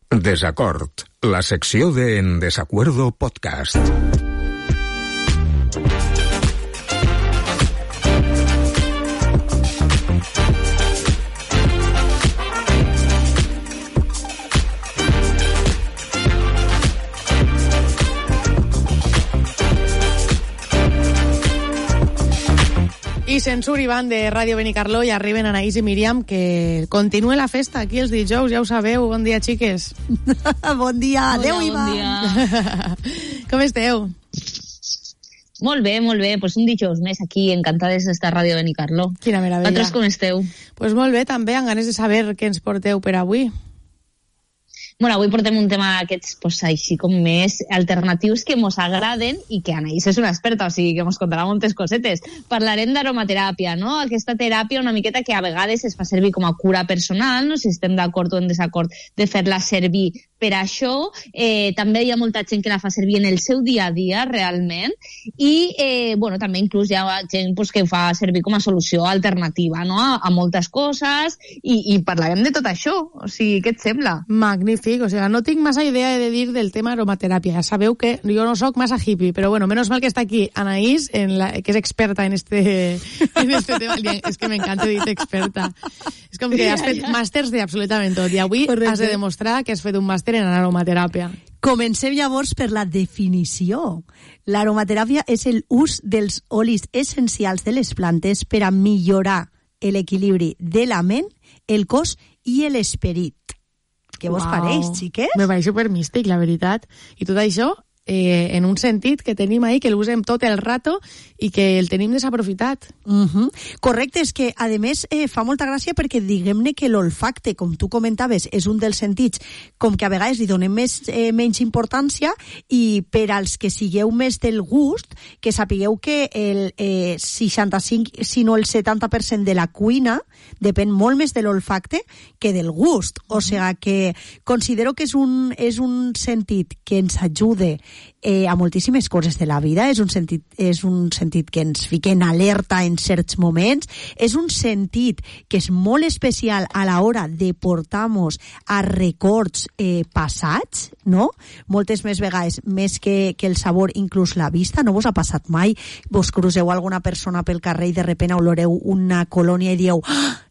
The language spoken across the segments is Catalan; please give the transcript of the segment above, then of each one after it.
Desacord, la secció de En Desacuerdo Podcast. I Censur i Van de Ràdio Benicarló i arriben Anaïs i Míriam, que continua la festa aquí els dijous, ja ho sabeu. Bon dia, xiques. Bon dia. Adéu, Ivan. Bon dia. Com esteu? Molt bé, molt bé. Pues un dijous més aquí, encantades d'estar a Ràdio Benicarló. Quina meravella. Vosaltres com esteu? Pues molt bé, també, amb ganes de saber què ens porteu per avui. Bueno, avui portem un tema d'aquests, pues, així com més alternatius que mos agraden i que Anaïs és una experta, o sigui que mos contarà moltes cosetes. Parlarem d'aromateràpia, no? Aquesta teràpia una miqueta que a vegades es fa servir com a cura personal, no sé si estem d'acord o en desacord de fer-la servir per això. També hi ha molta gent que la fa servir en el seu dia a dia, realment, i bueno, també inclús hi ha gent pues, que fa servir com a solució alternativa, no? A moltes coses, i parlarem de tot això. O sigui, què et sembla? Magnífic, o sigui, no tinc massa idea de dir del tema aromateràpia. Ja sabeu que jo no sóc massa hippie, però bueno, menos mal que està aquí Anaïs, que és experta en este tema. És que m'encanta dir experta. És com que has fet màsters d'absolutament tot, i avui has de demostrar que has fet un màster en aromateràpia. Comencem llavors per la definició. L'aromateràpia és l'ús dels olis essencials de les plantes per a millorar l'equilibri de la ment, el cos i l'esperit. Què vos pareix, xiques? Me pareix supermístic, la veritat. I tot això en un sentit que tenim ahí, que l'usem tot el rato i que el tenim desaprofitat. Correcte, és que a més fa molta gràcia perquè diguem-ne que l'olfacte, com tu comentaves, és un dels sentits com que a vegades li donem menys importància, i per als que sigueu més del gust, que sapigueu que el 65, si no el 70% de la cuina depèn molt més de l'olfacte que del gust. O sigui que considero que és un sentit que ens ajuda a moltíssimes coses de la vida. És un sentit que ens fica en alerta en certs moments, és un sentit que és molt especial a l'hora de portar-nos a records passats, no? Moltes més vegades, més que el sabor, inclús la vista. No vos ha passat mai? Vos cruceu alguna persona pel carrer i de repente oloreu una colònia i dieu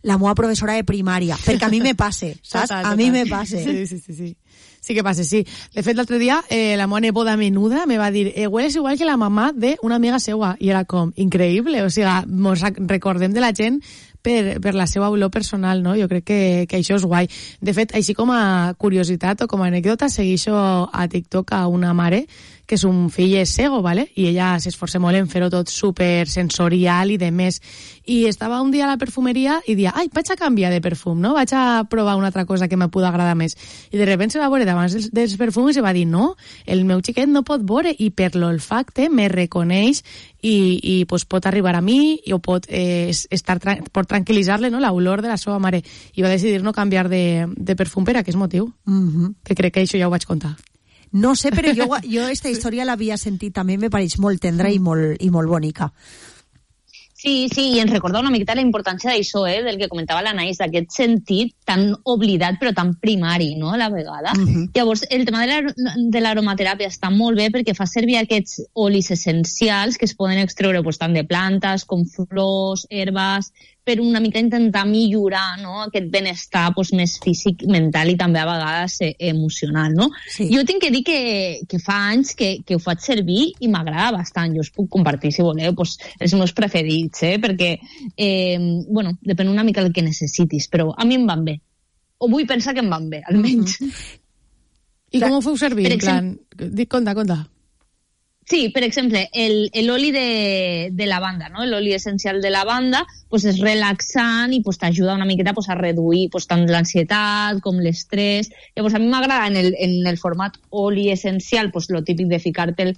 la meva professora de primària, perquè a mi me passa, saps? A mi me passa. Sí. Sí que passa, sí. De fet, l'altre dia, la meva neboda menuda me va dir hueles igual que la mamà d'una amiga seua. I era com, increïble. O sigui, mos recordem de la gent per la seva olor personal, no? Jo crec que això és guai. De fet, així com a curiositat o com a anècdota, segueixo a TikTok a una mare que un fill és cego, ¿vale? I ella s'esforça molt en fer-ho tot super sensorial i de més. I estava un dia a la perfumeria i dia, vaig a canviar de perfum, no? Vaig a provar una altra cosa que me pugui agradar més. I de repente se va veure davant dels perfums i va dir, no, el meu xiquet no pot veure, i per l'olfacte me reconeix i pues, pot arribar a mi o pot pot tranquil·litzar-le, no, l'olor de la seva mare. I va decidir no canviar de perfum per aquest motiu. Que crec que això ja ho vaig contar. No sé, però jo aquesta història l'havia sentit, també me pareix molt tendra i molt bonica. Sí, i ens recorda una miqueta la importància d'això, del que comentava l'Anaïs, d'aquest sentit tan oblidat però tan primari, no?, a la vegada. Llavors, el tema de l'aromateràpia està molt bé perquè fa servir aquests olis essencials que es poden extreure tant de plantes com flors, herbes, per una mica intentar millorar, no?, aquest benestar més físic, mental i també a vegades emocional, no? Sí. Jo tinc que dir que fa anys que ho faig servir i m'agrada bastant. Jo us puc compartir, si voleu, els meus preferits, perquè, bueno, depèn una mica del que necessitis, però a mi em van bé. O vull pensar que em van bé, almenys. I com ho feu servir? En plan, conta. Sí, per exemple, l'oli de lavanda, no? L'oli essencial de lavanda és relaxant i t'ajuda una miqueta a reduir tant l'ansietat com l'estrès. Llavors, a mi m'agrada en el format oli essencial, lo típic de ficar-te'l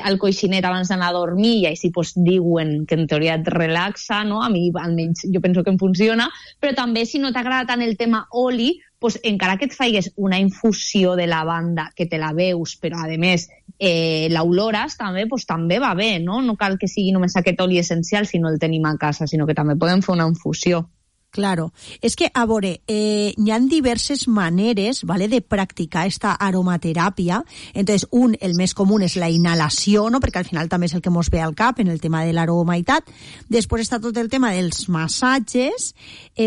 al coixinet abans d'anar a dormir, i així diuen que en teoria et relaxa, no? A mi, almenys, jo penso que em funciona, però també si no t'agrada tant el tema oli, encara que et faigues una infusió de lavanda que te la veus, però a més l'olores també va bé, no? No cal que sigui només aquest oli essencial si no el tenim a casa, sinó que també podem fer una infusió. Claro, es que, a veure, hi ha diverses maneres, ¿vale?, de practicar esta aromateràpia. Entonces, el més comú és la inhalació, no?, perquè al final també és el que mos ve al cap en el tema de l'aroma i tal. Després està tot el tema dels massatges,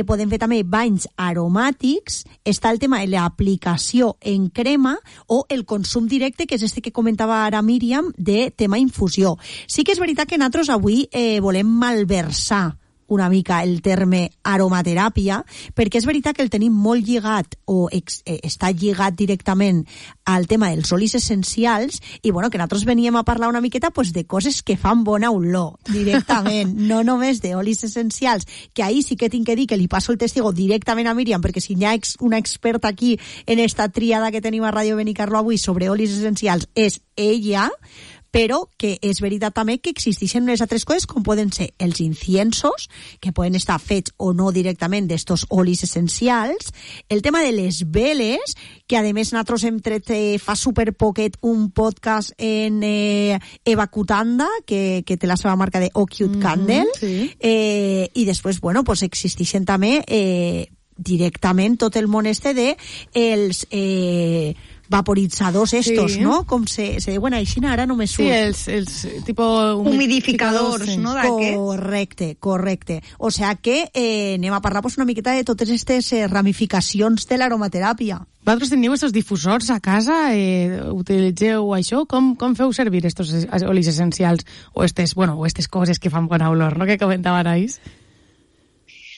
podem fer també banys aromàtics, està el tema de l'aplicació en crema o el consum directe, que és este que comentava ara Míriam, de tema infusió. Sí que és veritat que nosaltres avui volem malversar una mica el terme aromateràpia, perquè és veritat que el tenim molt lligat o està lligat directament al tema dels olis essencials i bueno, que nosaltres veníem a parlar una miqueta pues, de coses que fan bona olor directament, no només d'olis essencials, que ahí sí que tinc que dir que li passo el testigo directament a Míriam, perquè si hi ha una experta aquí en esta tríada que tenim a Ràdio Benicarló avui sobre olis essencials és ella, però que és veritat també que existeixen unes altres coses com poden ser els inciensos, que poden estar fets o no directament d'estos olis essencials, el tema de les veles, que a més nosaltres hem tret fa superpoquet un podcast en Eva Cutanda, que té la seva marca de Ocute Candle, sí. I després, bueno, pues existeixen també directament tot el món este de els vaporitzadors estos, sí. No? Com se diuen així, ara no me surt. Sí, els tipo humidificadors, sí. No? Correcte. O sea que anem a parlar pues, una miqueta de totes aquestes ramificacions de l'aromateràpia. Vosaltres teniu aquests difusors a casa? Utilitzeu això? Com feu servir estos olis essencials o estes coses que fan bona olor, no? Que comentava Anaïs?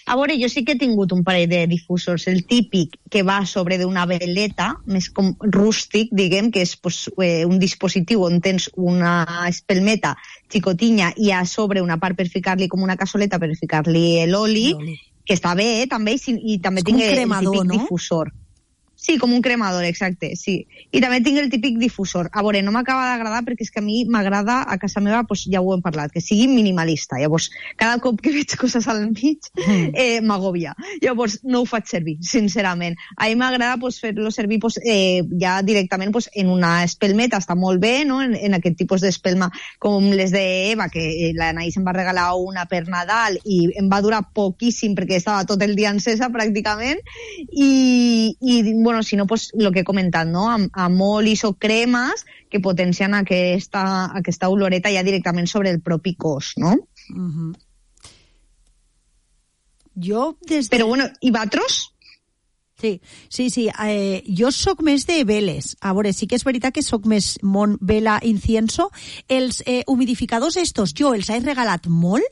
A veure, jo sí que he tingut un parell de difusors. El típic que va sobre d'una veleta, més com rústic, diguem, que és pues, un dispositiu on tens una espelmeta xicotinya i a sobre una part per ficar-li com una cassoleta per ficar-li l'oli, que està bé, també, i també tinc el típic difusor. Sí, com un cremador, exacte, sí. I també tinc el típic difusor. A veure, no m'acaba d'agradar perquè és que a mi m'agrada, a casa meva, pues, ja ho hem parlat, que sigui minimalista. Llavors, cada cop que veig coses al mig, m'agòbia. Llavors, no ho faig servir, sincerament. A mi m'agrada pues, fer-lo servir pues, ja directament pues, en una espelmeta, està molt bé, no? En aquest tipus d'espelma com les d'Eva, que l'Anaïs em va regalar una per Nadal i em va durar poquíssim perquè estava tot el dia encesa pràcticament i bueno, si no, pues, lo que he comentat, no? Amb olis o cremes que potencien aquesta oloreta ja directament sobre el propi cos, no? Uh-huh. Jo des de... Però bueno, i vosaltres? Sí. Jo soc més de veles. A veure, sí que és veritat que soc més món vela incienso. Els humidificadors estos jo els he regalat molt,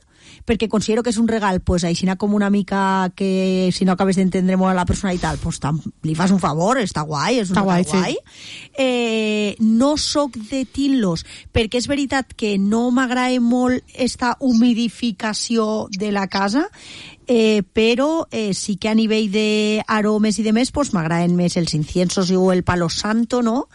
perquè considero que és un regal, pues, aixina com una mica que si no acabes d'entendre molt a la persona i tal, pues, li fas un favor, està guai, és un regal guai. Sí. No soc de tint-los, perquè és veritat que no m'agrada molt esta humidificació de la casa, però sí que a nivell d'aromes i de més, pues, m'agraden més els inciensos o el palo santo, no?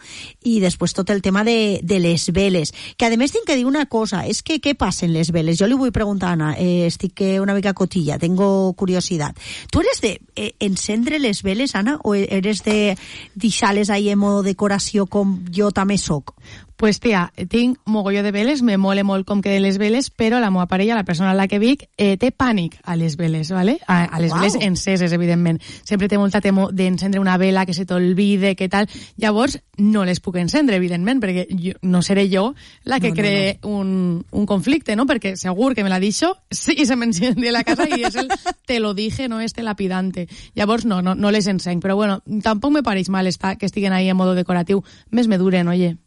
I després tot el tema de les veles. Que a més tinc que dir una cosa, és que què passa en les veles? Jo li vull preguntar a Anna, estic una mica cotilla, tengo curiosidad. Tu eres de encendre les veles, Anna, o eres de deixar-les ahí en modo decoració com jo també soc? Pues tia, tinc mogolló de veles, me mole molt com queden les veles, però la meva parella, la persona a la que vic, té pànic a les veles, ¿vale? A les veles enceses, evidentment. Sempre té molta temor d'encendre una vela, que se t'olvide, que tal. Llavors, no les puc encendre, evidentment, perquè no seré jo la que cree un conflicte, ¿no? Perquè segur que me la deixo, sí, se m'enciende la casa i és el te lo dije, no este lapidante. Llavors, no les encenc, però bueno, tampoc me pareix mal que estiguen ahí en modo decoratiu. Més me duren, oye.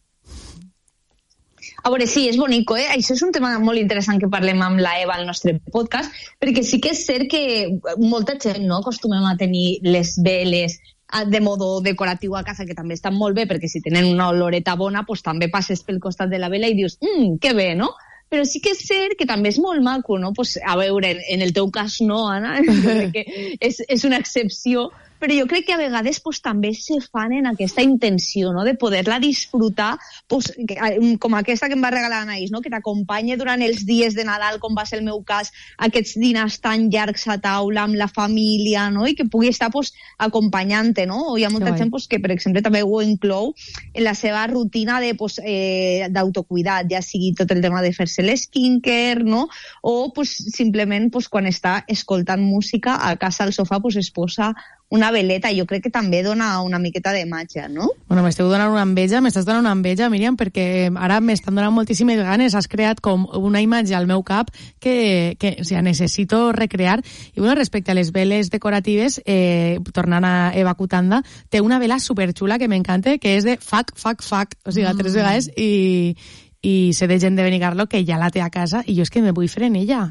A veure, sí, és bonico, eh? Això és un tema molt interessant que parlem amb la Eva al nostre podcast, perquè sí que és cert que molta gent no acostumem a tenir les veles de modo decoratiu a casa, que també estan molt bé, perquè si tenen una oloreta bona, pues també passes pel costat de la vela i dius, que bé, no? Però sí que és cert que també és molt maco, no? Pues, a veure, en el teu cas no, Anna, que és una excepció, però jo crec que a vegades pues, també se fan en aquesta intenció, no?, de poder-la disfrutar, pues, com aquesta que em va regalar Anaïs, no?, que t'acompanye durant els dies de Nadal, com va ser el meu cas, aquests dinars tan llargs a taula amb la família, no?, i que pugui estar pues, acompanyant-te, no? O hi ha molta gent pues, que, per exemple, també ho inclou en la seva rutina de, pues, d'autocuidat, ja sigui tot el tema de fer-se l'skincare, no?, o pues, simplement pues, quan està escoltant música a casa al sofà pues, es posa una veleta. Jo crec que també dona una miqueta de màgia, no? Bueno, m'estàs donant una enveja, Míriam, perquè ara m'estan donant moltíssimes ganes. Has creat com una imatge al meu cap que o sigui, necessito recrear. I bueno, respecte a les veles decoratives, tornant a Eva Cutanda, té una vela superxula que m'encanta, que és de fuck, o sigui, 3 vegades, i sé de gent de Benicarló que ja la té a casa, i jo és que me vull fer en ella.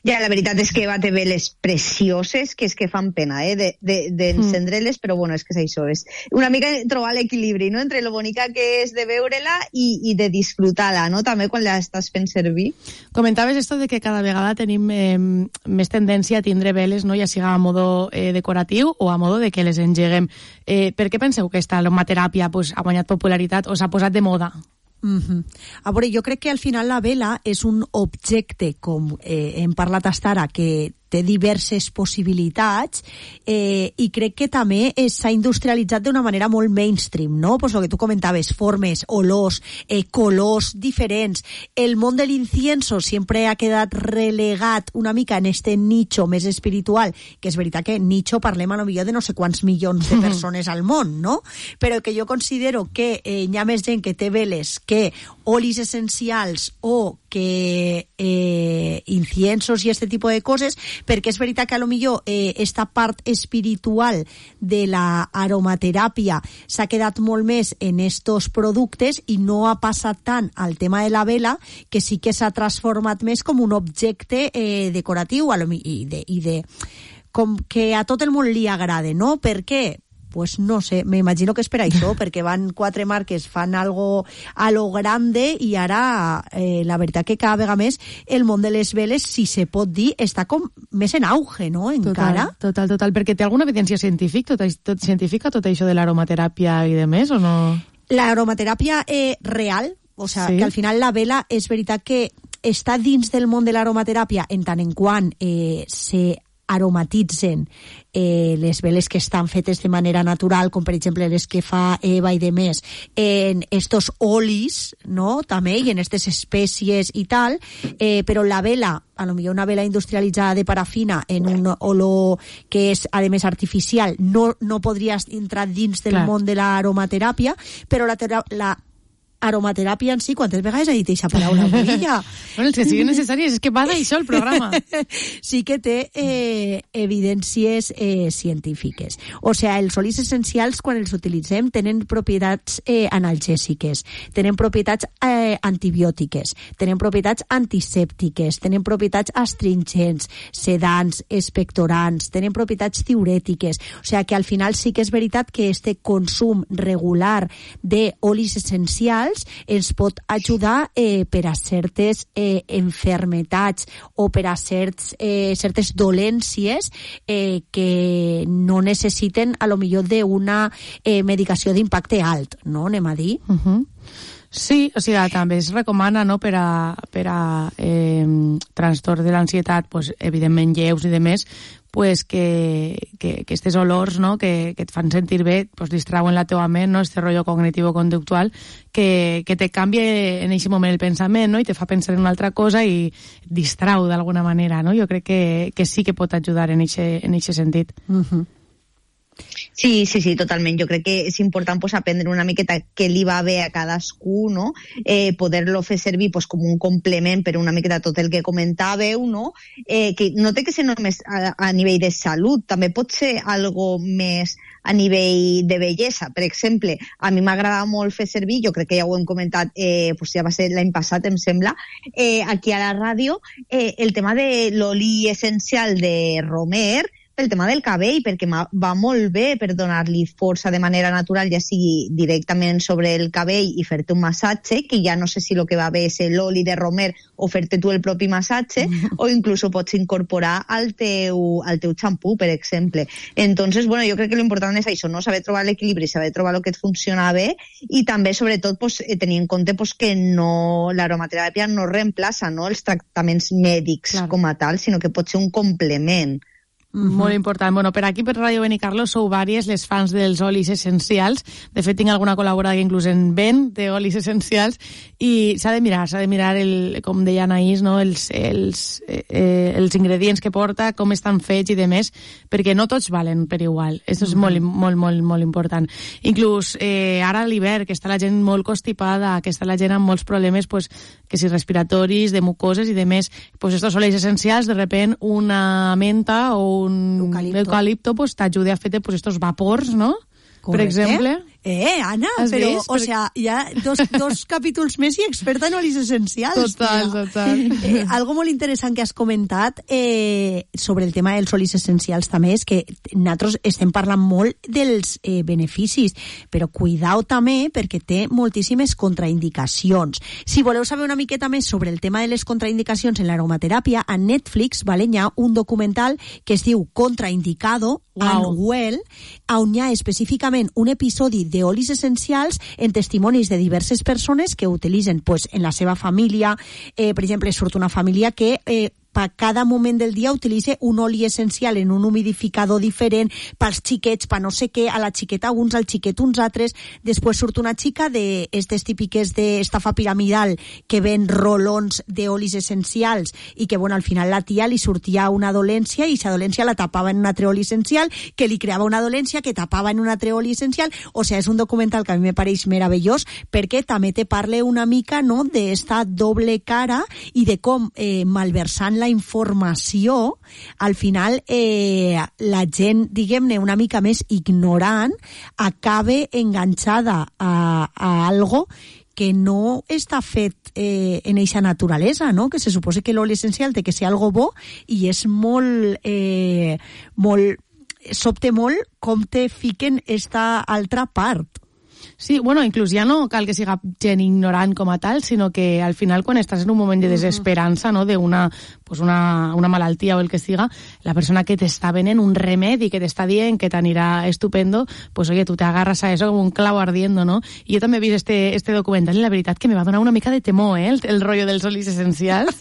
Ja, la veritat és que Eva té veles precioses que és que fan pena, d'encendre-les, però bueno, és que és això, és una mica trobar l'equilibri, no?, entre lo bonica que és de veure-la i de disfrutar-la, no?, també quan la estàs fent servir. Comentaves esto de que cada vegada tenim més tendència a tindre veles, no?, ja siga a modo decoratiu o a modo de que les engeguem. Per què penseu que esta aromateràpia pues, ha guanyat popularitat o s'ha posat de moda? A veure, jo crec que al final la vela és un objecte, com hem parlat hasta ara, que té diverses possibilitats i crec que també s'ha industrialitzat d'una manera molt mainstream, no? Pues lo que tu comentaves, formes, olors, colors diferents. El món de l'incienso sempre ha quedat relegat una mica en este nicho més espiritual, que és veritat que nicho parlem a lo millor de no sé quants milions de persones al món, no? Però que jo considero que hi ha més gent que té veles que olis essencials o que inciensos i este tipus de coses, perquè és veritat que a lo millor esta part espiritual de la aromateràpia s'ha quedat molt més en estos productes i no ha passat tant al tema de la vela, que sí que s'ha transformat més com un objecte decoratiu i com que a tot el món li agrada, no? Per què? Pues no sé, me imagino que és per això, perquè van 4 marques, fan algo a lo grande i ara la veritat que cada vegada més el món de les veles, si se pot dir, està com més en auge, no? Encara. Total, perquè té alguna evidència científica tot això de l'aromateràpia i de més, o no? L'aromateràpia real, o sea, sí, que al final la vela és veritat que està dins del món de l'aromateràpia en tant en quant se aromatitzen les veles que estan fetes de manera natural, com per exemple les que fa Eva i de més, en estos olis, no?, també, i en aquestes espècies i tal, però la vela, a lo millor una vela industrialitzada de parafina en un olor que és, a més, artificial, no podria entrar dins del món de l'aromateràpia, però la aromateràpia en si, quantes vegades ha dit aquesta paraula, Murilla? Bueno, els que siguin necessaris, és que va d'això el programa. Sí que té evidències científiques. O sigui, els olis essencials, quan els utilitzem, tenen propietats analgèsiques, tenen propietats antibiòtiques, tenen propietats antisèptiques, tenen propietats astringents, sedants, expectorants, tenen propietats diurètiques. O sigui, que al final sí que és veritat que este consum regular d'olis essencials ens pot ajudar per a certes enfermetats o per a certes dolències que no necessiten a lo millor d'una medicació d'impacte alt, no? Anem a dir. Sí, o sigui, també es recomana, no?, per a trastorn de l'ansietat, pues, evidentment lleus i de més, pues que aquestes olors, no?, que et fan sentir bé, pues distrauen la teua ment, no?, este rotllo cognitivo-conductual, que te canvia en aquest moment el pensament, no?, i te fa pensar en una altra cosa i et distrau d'alguna manera, no? Jo crec que sí que pot ajudar en aquest sentit. Sí, totalment. Jo crec que és important pues, aprendre una miqueta què li va bé a cadascú, no? Poder-lo fer servir pues, com un complement per una miqueta tot el que comentàveu, no? Que no té que ser només a nivell de salut, també pot ser algo més a nivell de bellesa. Per exemple, a mi m'agrada molt fer servir, jo crec que ja ho hem comentat, pues ja va ser l'any passat, em sembla, aquí a la ràdio, el tema de l'oli essencial de romer, pel tema del cabell, perquè va molt bé per donar-li força de manera natural, ja sigui directament sobre el cabell i fer-te un massatge, que ja no sé si el que va bé és l'oli de romer o fer-te tu el propi massatge, o inclús ho pots incorporar al teu xampú, per exemple. Entonces, bueno, jo crec que l'important és això, no? Saber trobar l'equilibri, saber trobar el que et funciona bé, i també, sobretot, pues, tenir en compte pues, que no, l'aromateràpia no reemplaça, no, els tractaments mèdics com a tal, sinó que pot ser un complement. Molt important. Bueno, per aquí, per Ràdio Benicarló, sou vàries les fans dels olis essencials. De fet, tinc alguna col·laborada que inclús en ven d'olis essencials, i s'ha de mirar, com deia Anaïs, no? els ingredients que porta, com estan fets i demés, perquè no tots valen per igual. Això és molt, molt, molt, molt important. Inclús ara a l'hivern, que està la gent molt constipada, que està la gent amb molts problemes, pues, que si respiratoris, de mucoses i demés, pues estos olis essencials, de repent, una menta o un eucalipto pues t'ajuda a fer pues estos vapors, ¿no? Correcte. Per exemple. Anna, però, o sea, ja dos capítols més i experta en olis essencials. Total. Algo molt interessant que has comentat sobre el tema dels olis essencials també és que nosaltres estem parlant molt dels beneficis, però cuidao també perquè té moltíssimes contraindicacions. Si voleu saber una miqueta més sobre el tema de les contraindicacions en l'aromateràpia, a Netflix hi ha un documental que es diu Contraindicado, Unwell, on hi ha específicament un episodi d'olis essencials en testimonis de diverses persones que utilitzen pues, en la seva família. Per exemple, surt una família que per cada moment del dia utilitza un oli essencial en un humidificador diferent, pels xiquets, per no sé què, a la xiqueta uns, al xiquet uns altres. Després surt una xica d'estes típiques d'estafa piramidal que ven rolons d'olis essencials i que, bueno, al final la tia li sortia una dolència i aquesta dolència la tapava en un altre oli essencial, que li creava una dolència que tapava en un altre oli essencial. O sigui, és un documental que a mi me pareix meravellós perquè també te parla una mica, no?, d'esta doble cara i de com malversant la informació, al final la gent, diguem-ne, una mica més ignorant, acabe enganxada a algo que no està fet en eixa naturalesa, no? Que se suposa que l'oli essencial té que ser algo bo i és molt sobte molt com te fiquen esta altra part. Sí, bueno, inclús ja no cal que siga gent ignorant com a tal, sinó que al final quan estàs en un moment de desesperança, no?, d'una pues una malaltia o el que siga, la persona que t'està venent un remedi que t'està dient que t'anirà estupendo, pues oye, tu te agarras a eso como un clavo ardiendo, ¿no? I jo també he vist este documental i la veritat que me va donar una mica de temor, el rotllo dels olis essencials.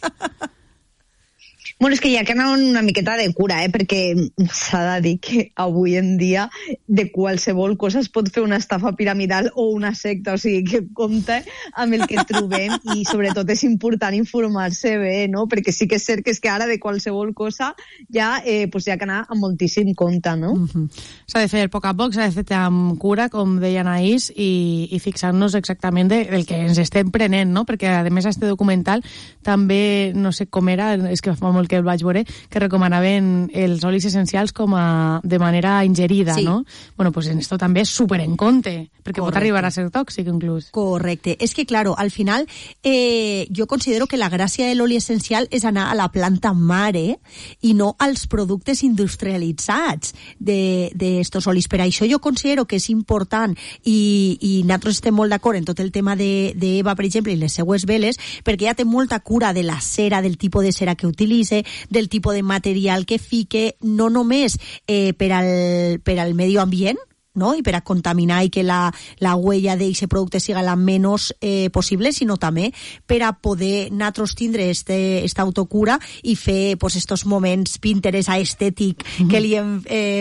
Bueno, és que hi ha que anar una miqueta de cura, perquè s'ha de dir que avui en dia de qualsevol cosa es pot fer una estafa piramidal o una secta, o sigui, que compte amb el que trobem i sobretot és important informar-se bé, no? Perquè sí que és cert que és que ara de qualsevol cosa ja pues hi ha que anar amb moltíssim compte, no? S'ha de fer a poc a poc, s'ha de fer amb cura, com deia Anaïs, i fixar-nos exactament del que ens estem prenent, no? Perquè a més este documental també, no sé com era, és que fa molt que el vaig veure, que recomanaven els olis essencials com de manera ingerida, sí, no? Bueno, pues en esto també és súper en compte, perquè pot arribar a ser tòxic inclús. Correcte. És que, claro, al final jo considero que la gràcia de l'oli essencial és anar a la planta mare i no als productes industrialitzats d'estos olis. Per això jo considero que és important i nosaltres estem molt d'acord en tot el tema d'Eva, per exemple, i les seues veles, perquè ja té molta cura de la cera, del tipus de cera que utilitza, del tipus de material que fique, no només per al medi ambient, no? I per a contaminar i que la huella d'aquest producte siga la menys possible, sinó també per a poder nosaltres tindre esta autocura i fer pues, estos moments Pinterest estètic que li hem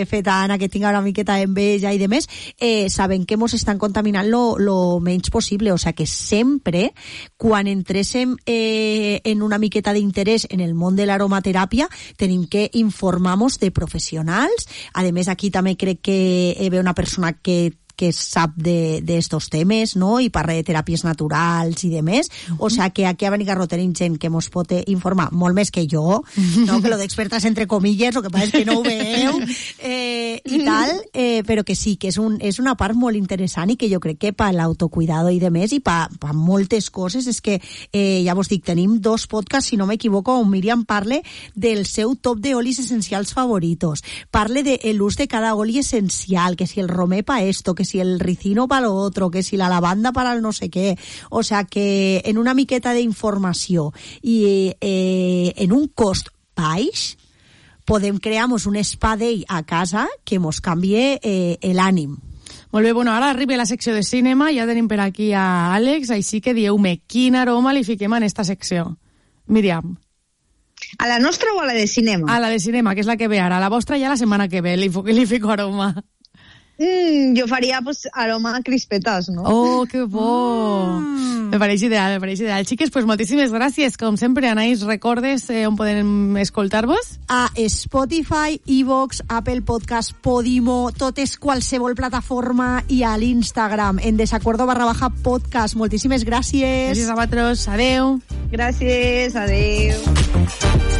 fet a Anna, que tinga una miqueta d'enveja i demés, sabem que ens estan contaminant lo menys possible. O sigui que sempre, quan entréssim en una miqueta d'interès en el món de l'aromateràpia, tenim que informar-nos de professionals. A més, aquí també crec que ve una persona que sap d'estos temes, no?, i parla de teràpies naturals i demés. O sigui que aquí a Benicarló tenim gent que ens pot informar molt més que jo, no?, que lo d'expertes entre comilles, el que passa és que no ho veieu, i tal, però que sí, que és una part molt interessant i que jo crec que per l'autocuidado i de més i per moltes coses és que, ja vos dic, tenim 2 podcasts, si no m'equivoco, on Míriam parle del seu top de olis essencials favoritos, parle de l'ús de cada oli essencial, que si el romé pa esto, que si el ricino pa lo otro, que si la lavanda para el no sé què, o sea que en una miqueta d'informació i en un cost baix podem crear-nos un spa day a casa que mos canvie l'ànim. Molt bé, bueno, ara arriba la secció de cinema, ja tenim per aquí a Àlex, així que dieu-me quin aroma li fiquem en esta secció. Míriam. A la nostra o a la de cinema? A la de cinema, que és la que ve ara. A la vostra ja la setmana que ve li fico aroma. Jo faria pues, aroma a crispetes, no? Oh, que bo! Me pareix ideal. Xiques, pues moltíssimes gràcies. Com sempre, Anaïs, recordes on podem escoltar-vos? A Spotify, iVoox, Apple Podcast, Podimo, totes qualsevol plataforma i a l'Instagram, en desacuerdo_podcast. Moltíssimes gràcies. Gràcies a vosaltres. Adeu. Gràcies, adeu.